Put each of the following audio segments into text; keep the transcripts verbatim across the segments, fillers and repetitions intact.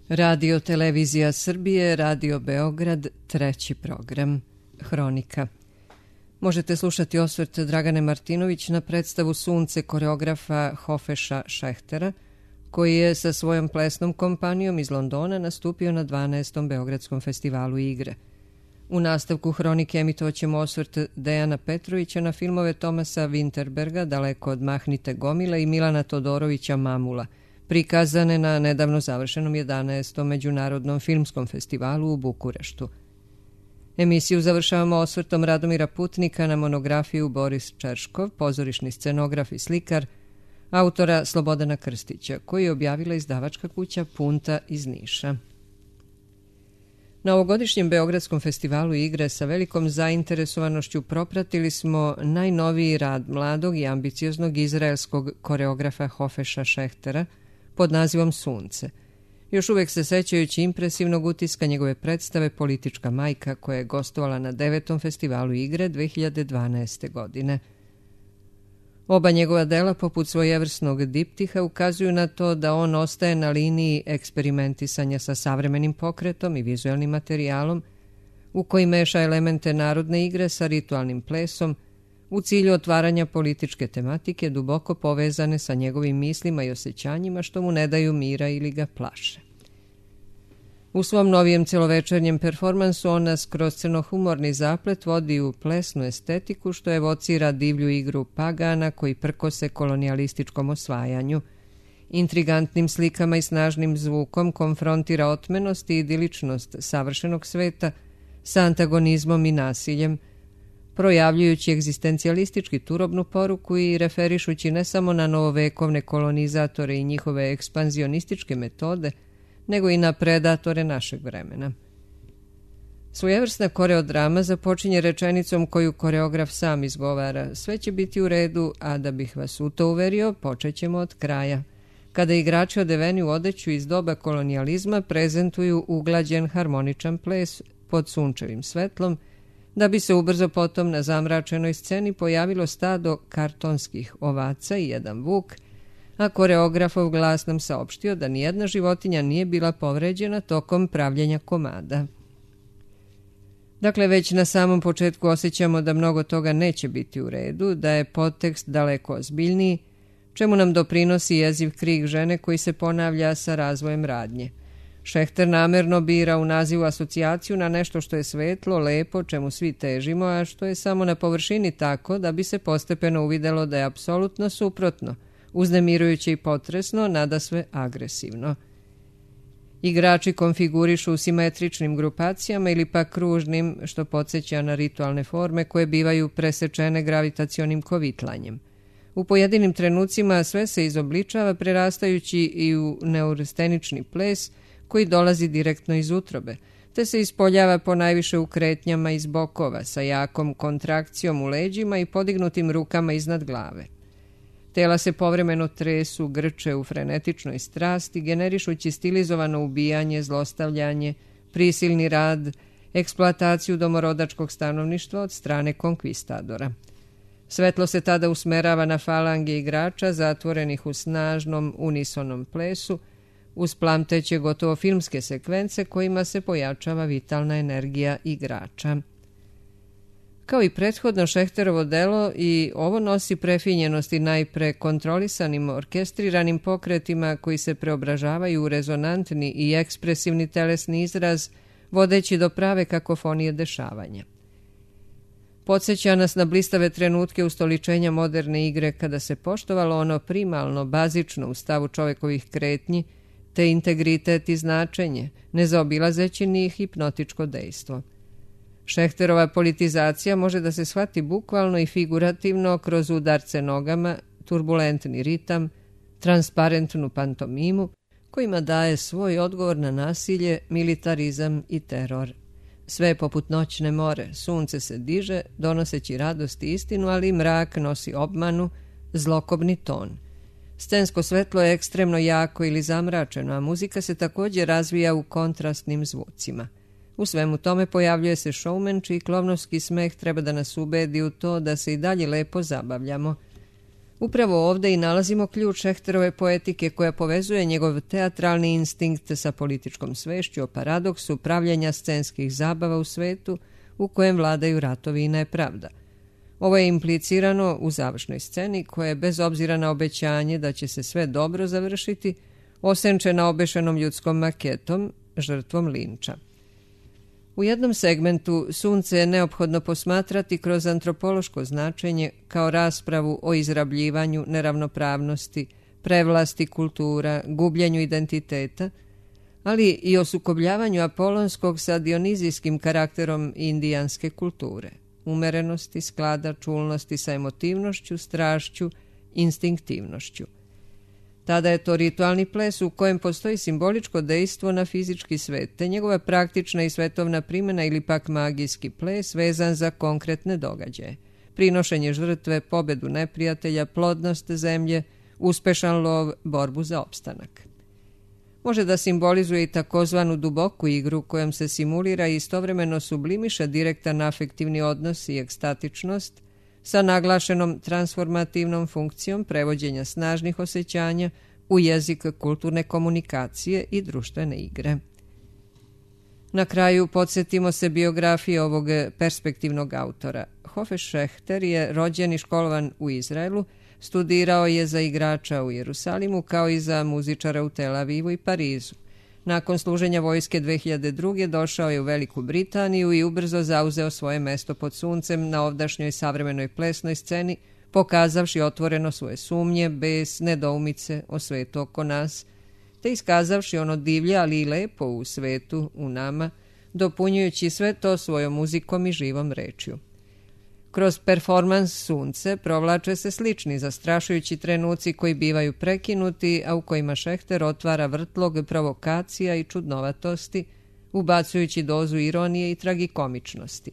Radio Televizija Srbije, Radio Beograd, treći program, Hronika. Možete slušati osvrt Dragane Martinović na predstavu Sunce koreografa Hofeša Šehtera, koji je sa svojom plesnom kompanijom iz Londona nastupio na dvanaestom Beogradskom festivalu igre. U nastavku Hronike emitovaćemo osvrt Dejana Petrovića na filmove Tomasa Winterberga Daleko od Mahnite gomile i Milana Todorovića Mamula, prikazane na nedavno završenom jedanaestom Međunarodnom filmskom festivalu u Bukureštu. Emisiju završavamo osvrtom Radomira Putnika na monografiju Boris Čerškov, pozorišni scenograf i slikar, autora Slobodana Krstića, koji je objavila izdavačka kuća Punta iz Niša. Na ovogodišnjem Beogradskom festivalu igre sa velikom zainteresovanošću propratili smo najnoviji rad mladog i ambicioznog izraelskog koreografa Hofeša Šehtera pod nazivom Sunce, još uvek se sećajući impresivnog utiska njegove predstave Politička majka, koja je gostovala na devetom festivalu igre dve hiljade dvanaeste. godine. Oba njegova dela, poput svojevrsnog diptiha, ukazuju na to da on ostaje na liniji eksperimentisanja sa savremenim pokretom i vizualnim materijalom, u koji meša elemente narodne igre sa ritualnim plesom, u cilju otvaranja političke tematike duboko povezane sa njegovim mislima i osjećanjima što mu ne daju mira ili ga plaše. U svom novijem celovečernjem performansu on nas kroz crnohumorni zaplet vodi u plesnu estetiku što evocira divlju igru pagana koji prkose kolonijalističkom osvajanju. Intrigantnim slikama i snažnim zvukom konfrontira otmenost i idiličnost savršenog sveta sa antagonizmom i nasiljem, projavljujući egzistencijalistički turobnu poruku i referišući ne samo na novovekovne kolonizatore i njihove ekspanzionističke metode, nego i na predatore našeg vremena. Svojevrsna koreodrama započinje rečenicom koju koreograf sam izgovara: sve će biti u redu, a da bih vas u to uverio, počet ćemo od kraja. Kada igrači odeveni u odeću iz doba kolonijalizma prezentuju uglađen harmoničan ples pod sunčevim svetlom, da bi se ubrzo potom na zamračenoj sceni pojavilo stado kartonskih ovaca i jedan vuk, a koreografov glas nam saopštio da nijedna životinja nije bila povređena tokom pravljenja komada. Dakle, već na samom početku osjećamo da mnogo toga neće biti u redu, da je podtekst daleko ozbiljniji, čemu nam doprinosi jeziv krik žene koji se ponavlja sa razvojem radnje. Šehter namerno bira u nazivu asocijaciju na nešto što je svetlo, lepo, čemu svi težimo, a što je samo na površini tako da bi se postepeno uvidelo da je apsolutno suprotno, uznemirujuće i potresno, nadasve agresivno. Igrači konfigurišu u simetričnim grupacijama ili pa kružnim, što podsjeća na ritualne forme koje bivaju presečene gravitacionim kovitlanjem. U pojedinim trenucima sve se izobličava prerastajući i u neurostenični ples koji dolazi direktno iz utrobe, te se ispoljava po najviše u kretnjama iz bokova sa jakom kontrakcijom u leđima i podignutim rukama iznad glave. Tela se povremeno tresu, grče u frenetičnoj strasti, generišući stilizovano ubijanje, zlostavljanje, prisilni rad, eksploataciju domorodačkog stanovništva od strane konkvistadora. Svetlo se tada usmerava na falange igrača zatvorenih u snažnom unisonom plesu, uz plamteće gotovo filmske sekvence kojima se pojačava vitalna energija igrača. Kao i prethodno Šehterovo delo, i ovo nosi prefinjenosti najpre kontrolisanim orkestriranim pokretima koji se preobražavaju u rezonantni i ekspresivni telesni izraz, vodeći do prave kakofonije dešavanja. Podsjeća nas na blistave trenutke ustoličenja moderne igre kada se poštovalo ono primalno, bazično u stavu čovekovih kretnji, te integritet i značenje, ne zaobilazeći ni hipnotičko dejstvo. Šehterova politizacija može da se shvati bukvalno i figurativno kroz udarce nogama, turbulentni ritam, transparentnu pantomimu, kojima daje svoj odgovor na nasilje, militarizam i teror. Sve je poput noćne more, sunce se diže, donoseći radost i istinu, ali mrak nosi obmanu, zlokobni ton. Scensko svetlo je ekstremno jako ili zamračeno, a muzika se također razvija u kontrastnim zvucima. U svemu tome pojavljuje se showman, čiji klovnovski smeh treba da nas ubedi u to da se i dalje lepo zabavljamo. Upravo ovde i nalazimo ključ Šehterove poetike koja povezuje njegov teatralni instinkt sa političkom svešću o paradoksu pravljenja scenskih zabava u svetu u kojem vladaju ratovi i nepravda. Ovo je implicirano u završnoj sceni koja je bez obzira na obećanje da će se sve dobro završiti, osenčena obešenom ljudskom maketom, žrtvom linča. U jednom segmentu sunce je neophodno posmatrati kroz antropološko značenje kao raspravu o izrabljivanju, neravnopravnosti, prevlasti kultura, gubljenju identiteta, ali i o sukobljavanju apolonskog sa dionizijskim karakterom indijanske kulture, umerenosti, sklada, čulnosti sa emotivnošću, strašću, instinktivnošću. Tada je to ritualni ples u kojem postoji simboličko dejstvo na fizički svet, te njegova praktična i svetovna primjena ili pak magijski ples vezan za konkretne događaje. Prinošenje žrtve, pobedu neprijatelja, plodnost zemlje, uspešan lov, borbu za opstanak. Može da simbolizuje i takozvanu duboku igru kojom se simulira i istovremeno sublimiše direktan afektivni odnos i ekstatičnost sa naglašenom transformativnom funkcijom prevođenja snažnih osjećanja u jezik kulturne komunikacije i društvene igre. Na kraju podsjetimo se biografije ovog perspektivnog autora. Hofe Šehter je rođen i školovan u Izraelu, studirao je za igrača u Jerusalimu kao i za muzičara u Tel Avivu i Parizu. Nakon služenja vojske dve hiljade druge. došao je u Veliku Britaniju i ubrzo zauzeo svoje mesto pod suncem na ovdašnjoj savremenoj plesnoj sceni, pokazavši otvoreno svoje sumnje, bes, nedoumice o svetu oko nas, te iskazavši ono divlje, ali i lepo u svetu, u nama, dopunjujući sve to svojom muzikom i živom rečju. Kroz performans Sunce provlače se slični zastrašujući trenuci koji bivaju prekinuti, a u kojima Šehter otvara vrtlog provokacija i čudnovatosti, ubacujući dozu ironije i tragikomičnosti.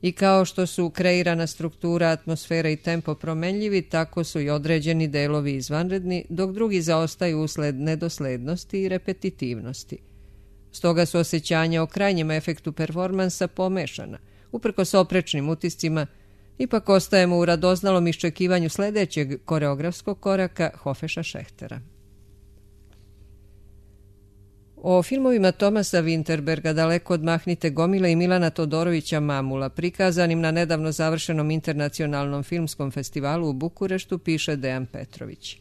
I kao što su kreirana struktura, atmosfera i tempo promenljivi, tako su i određeni delovi izvanredni, dok drugi zaostaju usled nedoslednosti i repetitivnosti. Stoga su osjećanja o krajnjem efektu performansa pomešana. Uprkos oprečnim utiscima, ipak ostajemo u radoznalom iščekivanju sledećeg koreografskog koraka Hofeša Šehtera. O filmovima Tomasa Vinterberga Daleko odmahnite gomile i Milana Todorovića Mamula, prikazanim na nedavno završenom internacionalnom filmskom festivalu u Bukureštu, piše Dejan Petrović.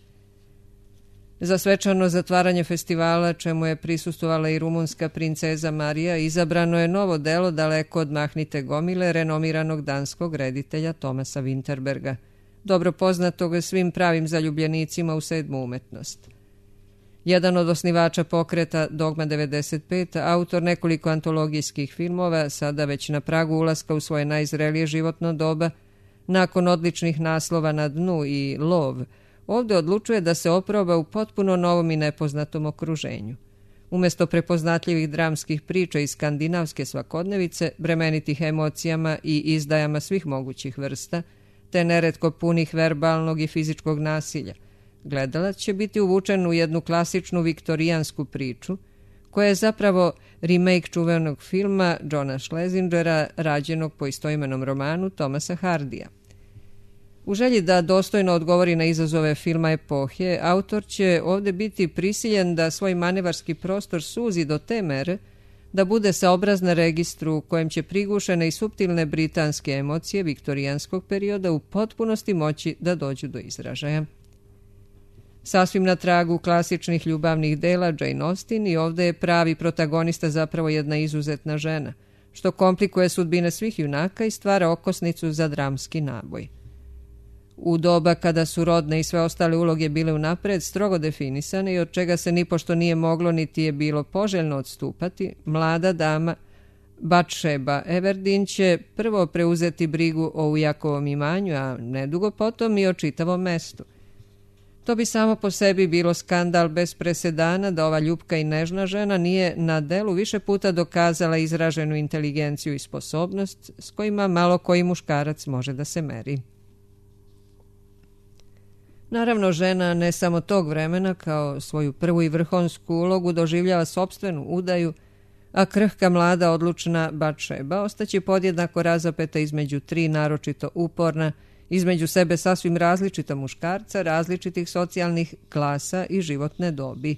Za svečano zatvaranje festivala, čemu je prisustvovala i rumunska princeza Marija, izabrano je novo delo Daleko odmahnite gomile renomiranog danskog reditelja Tomasa Vinterberga, dobro poznatog svim pravim zaljubljenicima u sedmu umetnost. Jedan od osnivača pokreta Dogma devedeset pet, autor nekoliko antologijskih filmova, sada već na pragu ulaska u svoje najzrelije životno doba, nakon odličnih naslova Na dnu i Lov, ovde odlučuje da se oproba u potpuno novom i nepoznatom okruženju. Umesto prepoznatljivih dramskih priča iz skandinavske svakodnevice, bremenitih emocijama i izdajama svih mogućih vrsta, te neretko punih verbalnog i fizičkog nasilja, gledalac će biti uvučen u jednu klasičnu viktorijansku priču, koja je zapravo remake čuvenog filma Johna Schlesingera, rađenog po istoimenom romanu Thomasa Hardija. U želji da dostojno odgovori na izazove filma epohe, autor će ovde biti prisiljen da svoj manevarski prostor suzi do te mere da bude saobraz na registru u kojem će prigušene i suptilne britanske emocije viktorijanskog perioda u potpunosti moći da dođu do izražaja. Sasvim na tragu klasičnih ljubavnih dela Jane Austen i ovde je pravi protagonista zapravo jedna izuzetna žena, što komplikuje sudbine svih junaka i stvara okosnicu za dramski naboj. U doba kada su rodne i sve ostale uloge bile unapred strogo definisane i od čega se nipošto nije moglo niti je bilo poželjno odstupati, mlada dama Batšeba Everdeen će prvo preuzeti brigu o ujakovom imanju, a nedugo potom i o čitavom mestu. To bi samo po sebi bilo skandal bez presedana da ova ljupka i nežna žena nije na delu više puta dokazala izraženu inteligenciju i sposobnost s kojima malo koji muškarac može da se meri. Naravno, žena ne samo tog vremena kao svoju prvu i vrhunsku ulogu doživljava sopstvenu udaju, a krhka mlada odlučna Batšeba ostaće podjednako razapeta između tri naročito uporna između sebe sasvim različita muškarca, različitih socijalnih klasa i životne dobi.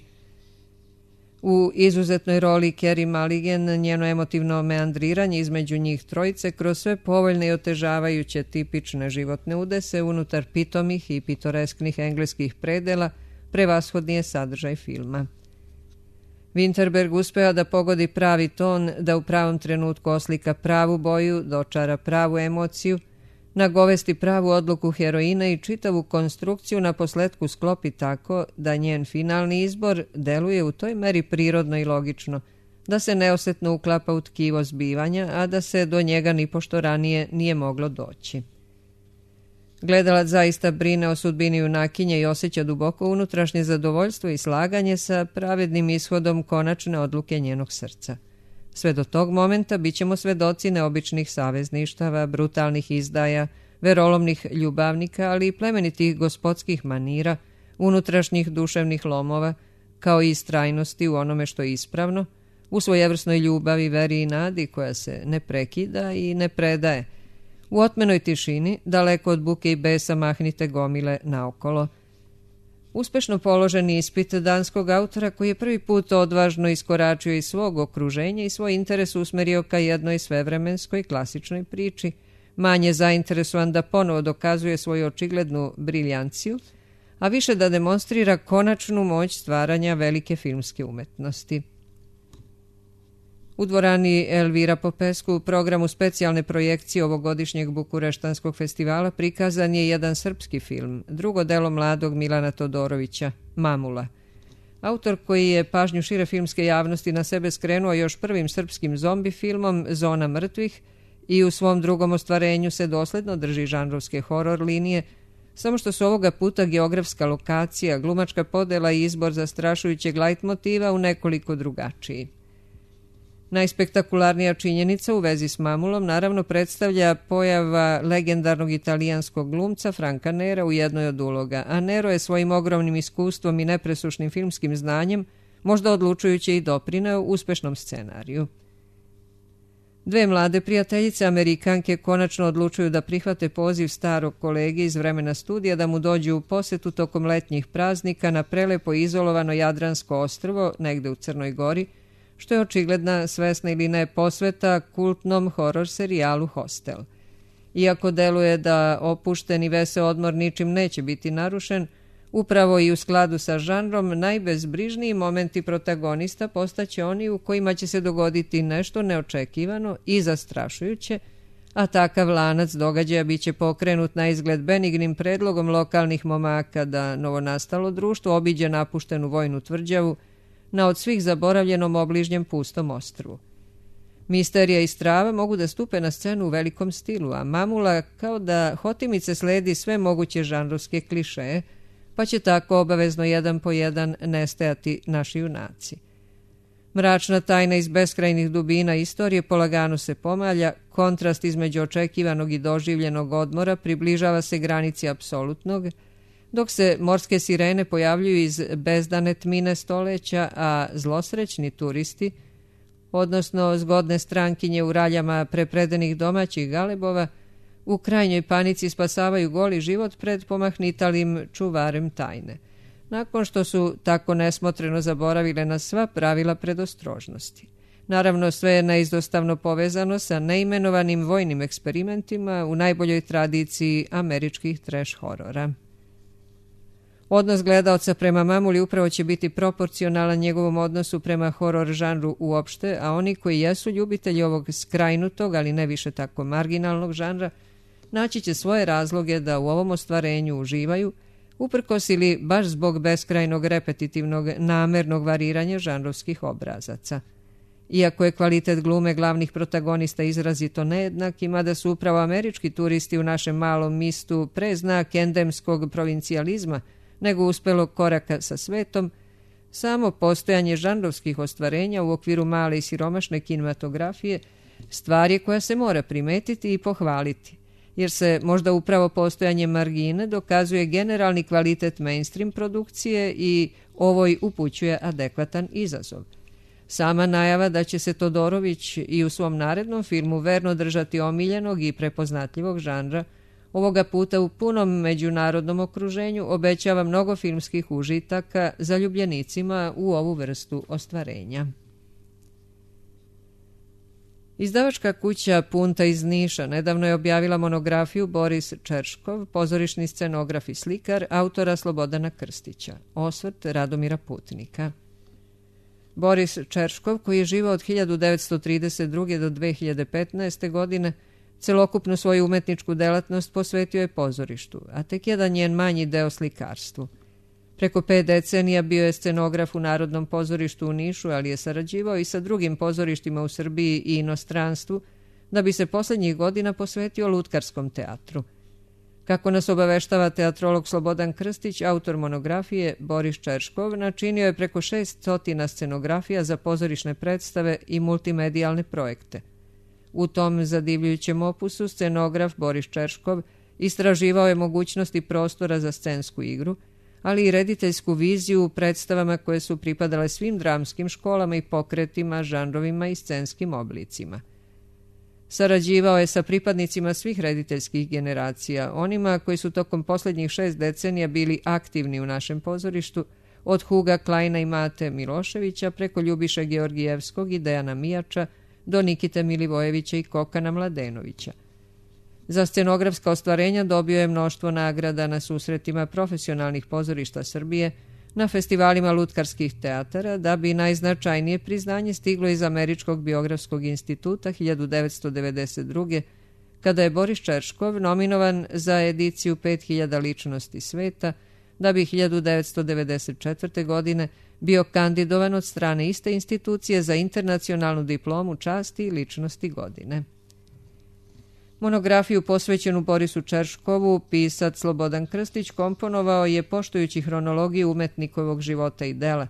U izuzetnoj roli Carey Mulligan njeno emotivno meandriranje između njih trojice kroz sve povoljne i otežavajuće tipične životne udese unutar pitomih i pitoresknih engleskih predela prevashodni je sadržaj filma. Winterberg uspeva da pogodi pravi ton, da u pravom trenutku oslika pravu boju, dočara pravu emociju, nagovesti pravu odluku heroina i čitavu konstrukciju na posletku sklopi tako da njen finalni izbor deluje u toj meri prirodno i logično, da se neosetno uklapa u tkivo zbivanja, a da se do njega nipošto ranije nije moglo doći. Gledalac zaista brine o sudbini junakinje i osjeća duboko unutrašnje zadovoljstvo i slaganje sa pravednim ishodom konačne odluke njenog srca. Sve do tog momenta bit ćemo svedoci neobičnih savezništava, brutalnih izdaja, verolomnih ljubavnika, ali i plemenitih gospodskih manira, unutrašnjih duševnih lomova, kao i istrajnosti u onome što je ispravno, u svojevrsnoj ljubavi, veri i nadi koja se ne prekida i ne predaje. U otmenoj tišini, daleko od buke i besa mahnite gomile naokolo. Uspešno položen ispit danskog autora koji je prvi put odvažno iskoračio iz svog okruženja i svoj interes usmerio ka jednoj svevremenskoj klasičnoj priči, manje zainteresovan da ponovo dokazuje svoju očiglednu briljanciju, a više da demonstrira konačnu moć stvaranja velike filmske umetnosti. U dvorani Elvira Popescu u programu specijalne projekcije ovogodišnjeg Bukureštanskog festivala prikazan je jedan srpski film, drugo delo mladog Milana Todorovića, Mamula. Autor koji je pažnju šire filmske javnosti na sebe skrenuo još prvim srpskim zombi filmom Zona mrtvih i u svom drugom ostvarenju se dosledno drži žanrovske horor linije, samo što su ovoga puta geografska lokacija, glumačka podela i izbor zastrašujućeg lajtmotiva u nekoliko drugačiji. Najspektakularnija činjenica u vezi s Mamulom naravno predstavlja pojava legendarnog italijanskog glumca Franka Nera u jednoj od uloga, a Nero je svojim ogromnim iskustvom i nepresušnim filmskim znanjem možda odlučujući i doprineo uspešnom scenariju. Dve mlade prijateljice Amerikanke konačno odlučuju da prihvate poziv starog kolege iz vremena studija da mu dođu u posetu tokom letnjih praznika na prelepo izolovano Jadransko ostrvo negde u Crnoj Gori, što je očigledna, svesna ili ne, posveta kultnom horor serijalu Hostel. Iako deluje da opušten i veseo odmor ničim neće biti narušen, upravo i u skladu sa žanrom, najbezbrižniji momenti protagonista postaće oni u kojima će se dogoditi nešto neočekivano i zastrašujuće, a takav lanac događaja bit će pokrenut na izgled benignim predlogom lokalnih momaka da novonastalo društvo obiđe napuštenu vojnu tvrđavu na od svih zaboravljenom obližnjem pustom ostrvu. Misterija i strava mogu da stupe na scenu u velikom stilu, a Mamula kao da hotimice sledi sve moguće žanrovske klišeje, pa će tako obavezno jedan po jedan nestajati naši junaci. Mračna tajna iz beskrajnih dubina istorije polagano se pomalja, kontrast između očekivanog i doživljenog odmora približava se granici apsolutnog, dok se morske sirene pojavljuju iz bezdane tmine stoleća, a zlosrećni turisti, odnosno zgodne strankinje u raljama prepredenih domaćih galebova, u krajnjoj panici spasavaju goli život pred pomahnitalim čuvarem tajne, nakon što su tako nesmotreno zaboravile na sva pravila predostrožnosti. Naravno, sve je neizostavno povezano sa neimenovanim vojnim eksperimentima u najboljoj tradiciji američkih trash horora. Odnos gledaoca prema Mamuli upravo će biti proporcionalan njegovom odnosu prema horor žanru uopšte, a oni koji jesu ljubitelji ovog skrajnutog, ali ne više tako marginalnog žanra, naći će svoje razloge da u ovom ostvarenju uživaju, uprkos ili baš zbog beskrajnog repetitivnog namernog variranja žanrovskih obrazaca. Iako je kvalitet glume glavnih protagonista izrazito nejednak, ima da su upravo američki turisti u našem malom mistu pre znak endemskog provincijalizma nego uspelog koraka sa svetom, samo postojanje žanrovskih ostvarenja u okviru male i siromašne kinematografije stvar je koja se mora primetiti i pohvaliti, jer se možda upravo postojanje margine dokazuje generalni kvalitet mainstream produkcije i ovoj upućuje adekvatan izazov. Sama najava da će se Todorović i u svom narednom filmu verno držati omiljenog i prepoznatljivog žanra Ovoga puta u punom međunarodnom okruženju obećava mnogo filmskih užitaka zaljubljenicima u ovu vrstu ostvarenja. Izdavačka kuća Punta iz Niša nedavno je objavila monografiju Boris Čerškov, pozorišni scenograf i slikar, autora Slobodana Krstića, osvrt Radomira Putnika. Boris Čerškov, koji je živao od hiljadu devetsto trideset druge do dve hiljade petnaeste. godine, celokupnu svoju umetničku delatnost posvetio je pozorištu, a tek jedan njen manji deo slikarstvu. Preko pet decenija bio je scenograf u Narodnom pozorištu u Nišu, ali je sarađivao i sa drugim pozorištima u Srbiji i inostranstvu, da bi se posljednjih godina posvetio lutkarskom teatru. Kako nas obaveštava teatrolog Slobodan Krstić, autor monografije, Boris Čerškov načinio je preko šest stotina scenografija za pozorišne predstave i multimedijalne projekte. U tom zadivljujućem opusu scenograf Boris Čerškov istraživao je mogućnosti prostora za scensku igru, ali i rediteljsku viziju u predstavama koje su pripadale svim dramskim školama i pokretima, žanrovima i scenskim oblicima. Sarađivao je sa pripadnicima svih rediteljskih generacija, onima koji su tokom posljednjih šest decenija bili aktivni u našem pozorištu, od Huga Kleina i Mate Miloševića preko Ljubiše Georgijevskog i Dejana Mijača do Nikite Milivojevića i Kokana Mladenovića. Za scenografska ostvarenja dobio je mnoštvo nagrada na susretima profesionalnih pozorišta Srbije, na festivalima lutkarskih teatara, da bi najznačajnije priznanje stiglo iz Američkog biografskog instituta hiljadu devetsto devedeset druge. kada je Boris Čerškov nominovan za ediciju pet hiljada ličnosti sveta, da bi hiljadu devetsto devedeset četvrte. godine bio kandidovan od strane iste institucije za internacionalnu diplomu časti i ličnosti godine. Monografiju posvećenu Borisu Čerškovu pisac Slobodan Krstić komponovao je poštujući hronologiju umetnikovog života i dela.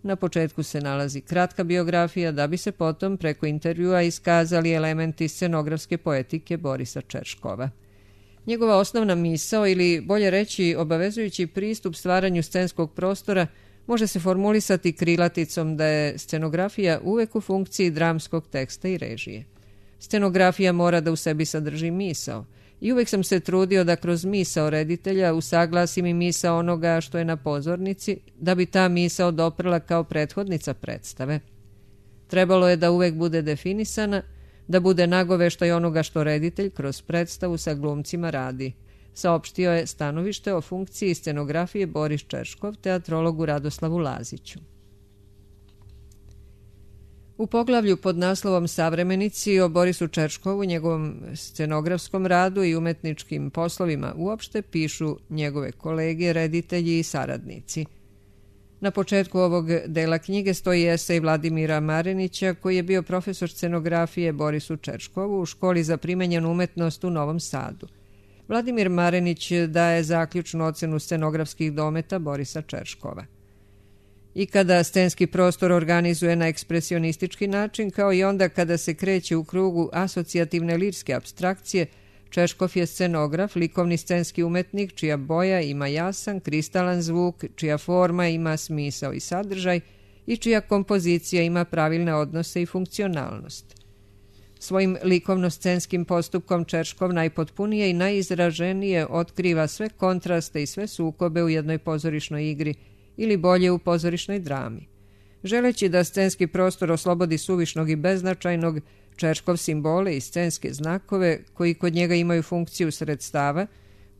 Na početku se nalazi kratka biografija, da bi se potom preko intervjua iskazali elementi scenografske poetike Borisa Čerškova. Njegova osnovna misao, ili bolje reći obavezujući pristup stvaranju scenskog prostora, može se formulisati krilaticom da je scenografija uvek u funkciji dramskog teksta i režije. Scenografija mora da u sebi sadrži misao i uvek sam se trudio da kroz misao reditelja usaglasim i misao onoga što je na pozornici, da bi ta misao doprla kao prethodnica predstave. Trebalo je da uvek bude definisana, da bude nagoveštaj onoga što reditelj kroz predstavu sa glumcima radi, saopštio je stanovište o funkciji scenografije Boris Čerškov teatrologu Radoslavu Laziću. U poglavlju pod naslovom Savremenici o Borisu Čerškovu, njegovom scenografskom radu i umetničkim poslovima uopšte pišu njegove kolege, reditelji i saradnici. Na početku ovog dela knjige stoji esej Vladimira Marenića, koji je bio profesor scenografije Borisu Čerškovu u školi za primenjenu umetnost u Novom Sadu. Vladimir Marenić daje zaključnu ocenu scenografskih dometa Borisa Čerškova. I kada scenski prostor organizuje na ekspresionistički način, kao i onda kada se kreće u krugu asocijativne lirske apstrakcije, Čerškov je scenograf, likovni scenski umetnik, čija boja ima jasan, kristalan zvuk, čija forma ima smisao i sadržaj i čija kompozicija ima pravilne odnose i funkcionalnost. Svojim likovno-scenskim postupkom Čerškov najpotpunije i najizraženije otkriva sve kontraste i sve sukobe u jednoj pozorišnoj igri, ili bolje u pozorišnoj drami. Želeći da scenski prostor oslobodi suvišnog i beznačajnog, Čerškov simbole i scenske znakove, koji kod njega imaju funkciju sredstava,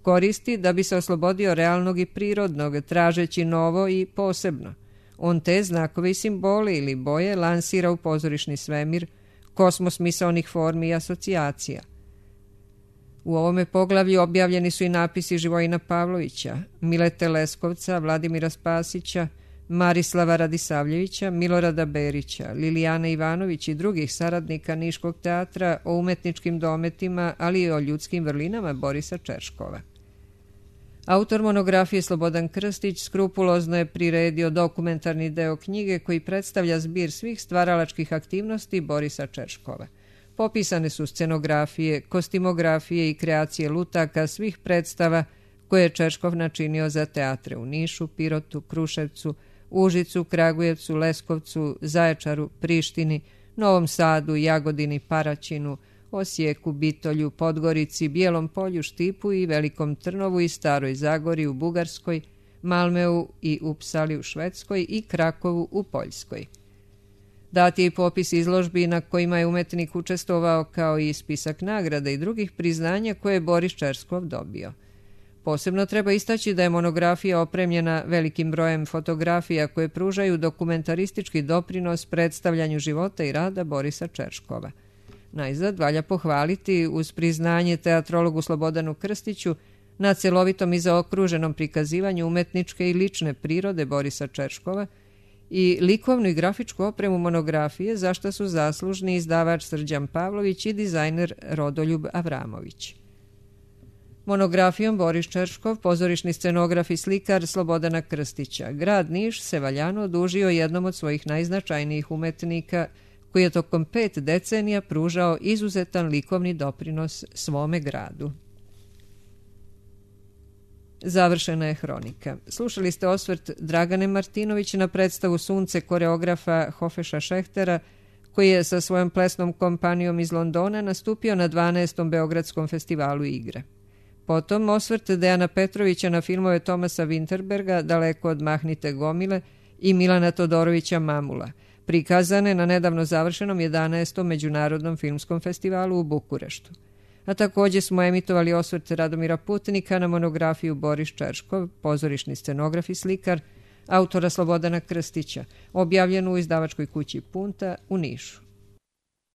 koristi da bi se oslobodio realnog i prirodnog, tražeći novo i posebno. On te znakove i simbole ili boje lansira u pozorišni svemir, kosmos misaonih formi i asocijacija. U ovome poglavlju objavljeni su i napisi Živojina Pavlovića, Milete Leskovca, Vladimira Spasića, Marislava Radisavljevića, Milorada Berića, Lilijane Ivanović i drugih saradnika Niškog teatra o umetničkim dometima, ali i o ljudskim vrlinama Borisa Čerškova. Autor monografije Slobodan Krstić skrupulozno je priredio dokumentarni deo knjige koji predstavlja zbir svih stvaralačkih aktivnosti Borisa Čerškova. Popisane su scenografije, kostimografije i kreacije lutaka svih predstava koje je Čerškov načinio za teatre u Nišu, Pirotu, Kruševcu, Užicu, Kragujevcu, Leskovcu, Zaječaru, Prištini, Novom Sadu, Jagodini, Paraćinu, Osijeku, Bitolju, Podgorici, Bijelom Polju, Štipu i Velikom Trnovu i Staroj Zagori u Bugarskoj, Malmeu i Upsali u Švedskoj i Krakovu u Poljskoj. Dat je i popis izložbi na kojima je umetnik učestvovao, kao i spisak nagrada i drugih priznanja koje je Boris Čerskov dobio. Posebno treba istaći da je monografija opremljena velikim brojem fotografija koje pružaju dokumentaristički doprinos predstavljanju života i rada Borisa Čerškova. Najzad valja pohvaliti uz priznanje teatrologu Slobodanu Krstiću na celovitom i zaokruženom prikazivanju umetničke i lične prirode Borisa Čerškova i likovnu i grafičku opremu monografije, za što su zaslužni izdavač Srđan Pavlović i dizajner Rodoljub Avramović. Monografijom Boris Čerškov, pozorišni scenograf i slikar Slobodana Krstića, grad Niš se valjano odužio jednom od svojih najznačajnijih umetnika koji je tokom pet decenija pružao izuzetan likovni doprinos svome gradu. Završena je hronika. Slušali ste osvrt Dragane Martinović na predstavu Sunce koreografa Hofeša Šehtera, koji je sa svojom plesnom kompanijom iz Londona nastupio na dvanaestom Beogradskom festivalu igre. Potom osvrt Dejana Petrovića na filmove Tomasa Winterberga Daleko od mahnite gomile i Milana Todorovića Mamula, prikazane na nedavno završenom jedanaestom Međunarodnom filmskom festivalu u Bukureštu. A također smo emitovali osvrt Radomira Putnika na monografiju Boris Čerškov, pozorišni scenograf i slikar, autora Slobodana Krstića, objavljenu u izdavačkoj kući Punta u Nišu.